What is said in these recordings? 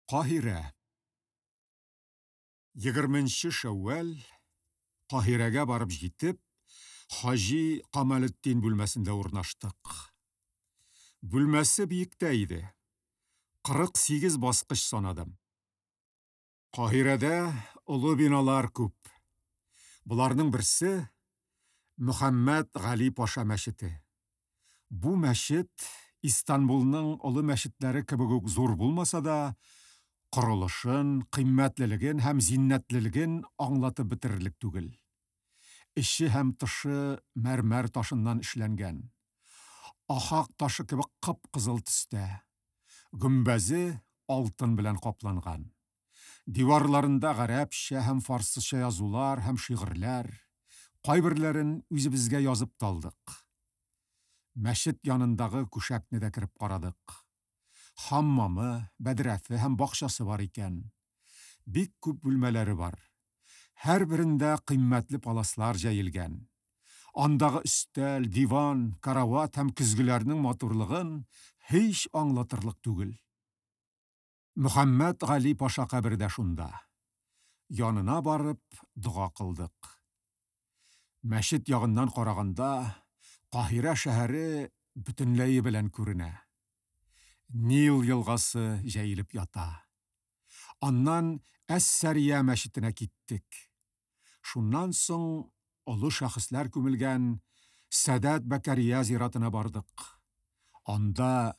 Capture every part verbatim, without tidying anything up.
Каһирә. Егерменче Шәүвәл Каһирәгә барып җитеп, Хаҗи Камалетдин бүлмәсендә урнаштык. Бүлмәсе биектә иде. Кырык сигез баскыч санадым. Каһирәдә олы биналар күп. Боларның берсе Мөхәммәд Гали Паша мәчете. Бу мәчет Истанбулның олы мәчетләре кебек үк зур булмаса да, корылышын, кыйммәтлелеген һәм зиннәтлелеген аңлатып бетерерлек түгел. Эче һәм тышы мәрмәр ташыннан эшләнгән. Ахак ташы кебек кып-кызыл төстә. Гөмбәзе алтын белән капланган. Диварларында гарәпчә һәм фарсыча язулар һәм шигырьләр, кайберләрен үзебезгә язып та алдык. Мәчет янындагы күшәкне дә кереп карадык. Хаммамы, бәдрәфе һәм бакчасы бар икән. Бик күп бүлмәләре бар. Һәрберендә кыйммәтле паласлар җәелгән. Андагы өстәл, диван, карават һәм көзгеләрнең матурлыгын һич аңлатырлык түгел. Мөхәммәд Гали Паша кабере дә шунда. Янына барып дога кылдык. Мәчет ягыннан караганда Каһирә шәһәре бөтенләе белән күренә. Нил елгасы җәелеп ята. Аннан Әс-Сәрия мәчетенә киттек. Шуннан соң олы шәхесләр күмелгән Сәдәт Бәкәрия зиратына бардык. Анда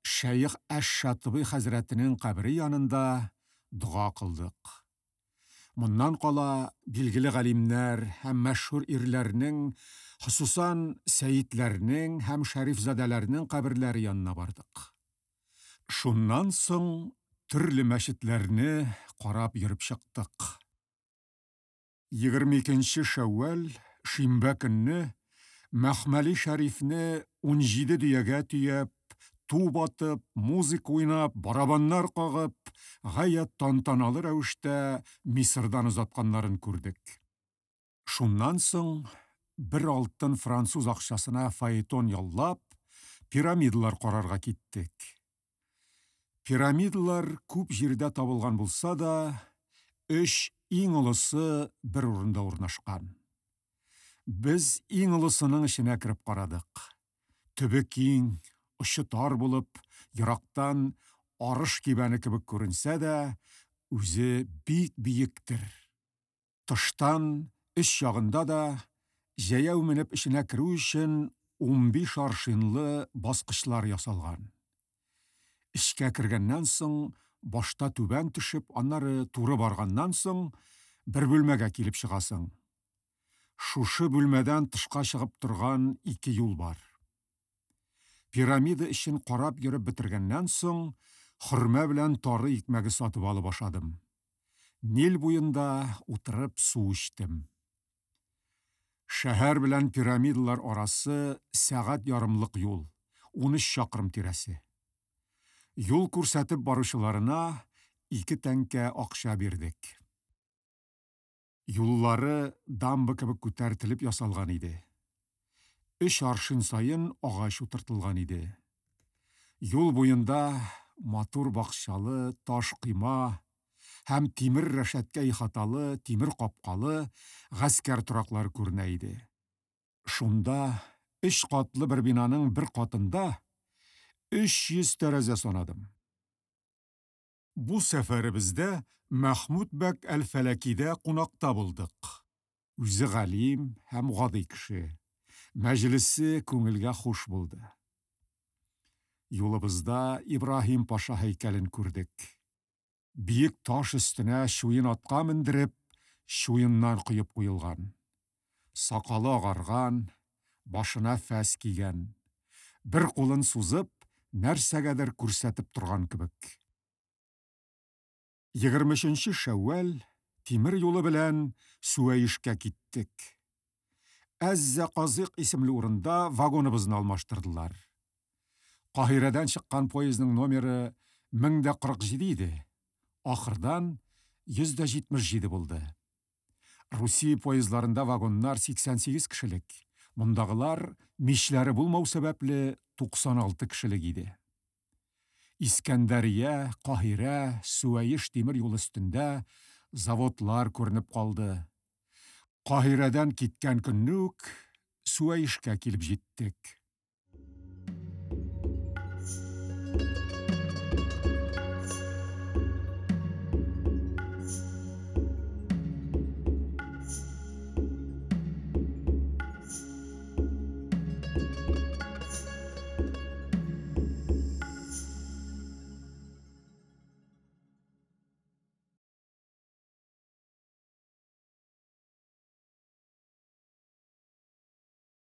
Шәех Әш-Шатыбый хәзрәтенең кабере янында дога кылдык. Моннан кала билгеле галимнәр һәм мәшһүр ирләрнең, хосусан сәйидләрнең һәм шәрифзадәләрнең каберләре янына бардык. Шуннан соң төрле мәчетләрне карап йөреп чыктык. Егерме икенче Шәүвәл шимбә көнне Мәхмәли Шәрифне унҗиде дөягә төяп, туп атып, музыка уйнап, барабаннар кагып, гаять тантаналы рәвештә Мисырдан озатканнарын күрдек. Шуннан соң бер алтын француз акчасына фаэтон яллап, пирамидалар карарга киттек. Пирамидалар күп җирдә табылган булса да, өч иң олысы бер урында урнашкан. Без иң олысының эченә кереп карадык. Төбе киң, очы тар булып, ерактан арыш кибәне кебек күренсә дә, үзе бик биектер. Тыштан өч ягында да җәяү менеп эченә керү өчен унбиш аршинлы баскычлар ясалган. Эчкә кергәннән соң башта түбән төшеп, аннары туры барганнан соң бер бүлмәгә килеп чыгасың. Шушы бүлмәдән тышка чыгып торган ике юл бар. Пирамида эчен карап йөреп бетергәннән соң хөрмә белән тары икмәге сатып алып ашадым. Нил буенда утырып су эчтем. Шәһәр белән пирамидалар арасы сәгать ярымлык юл, унөч чакрым тирәсе. Юл күрсәтеп баручыларына ике тәңкә акча бирдек. Юллары дамба кебек күтәртелеп ясалган иде. Өч аршин саен агач утыртылган иде. Юл буенда матур бакчалы таш койма һәм тимер рәшәткә ихаталы, тимер капкалы гаскәр тораклары күренә иде. Шунда өч катлы бер бинаның бер катында өч йөз тәрәзә санадым. Бу сәфәребездә Мәхмүд бәк әл-Фәләкидә кунакта булдык. Үзе галим һәм гади кеше. Мәҗлесе күңелгә хуш булды. Юлыбызда Ибраһим паша һәйкәлен күрдек. Биек таш өстенә чуен атка мендереп, чуеннар коеп куелган. Сакалы агарган, башына фәс кигән. Бер кулын сузып, нәрсәгәдер күрсәтеп торган кебек. Егерме өченче Шәүвәл тимер юлы белән Сүәешкә киттек. Әз-Заказык исемле урында вагоныбызны алмаштырдылар. Каһирәдән чыккан поездның номеры мең дә кырык җиде иде. Ахырдан йөз дә җитмеш җиде булды. Русия поездларында вагоннар сиксән сигез кешелек. Мондагылар мичләре булмау сәбәпле туксан алты кешелек иде. Искәндәрия, Каһирә, Сүәеш тимер юлы өстендә заводлар күренеп калды. Каһирәдән киткән көнне үк Сүәешкә килеп җиттек.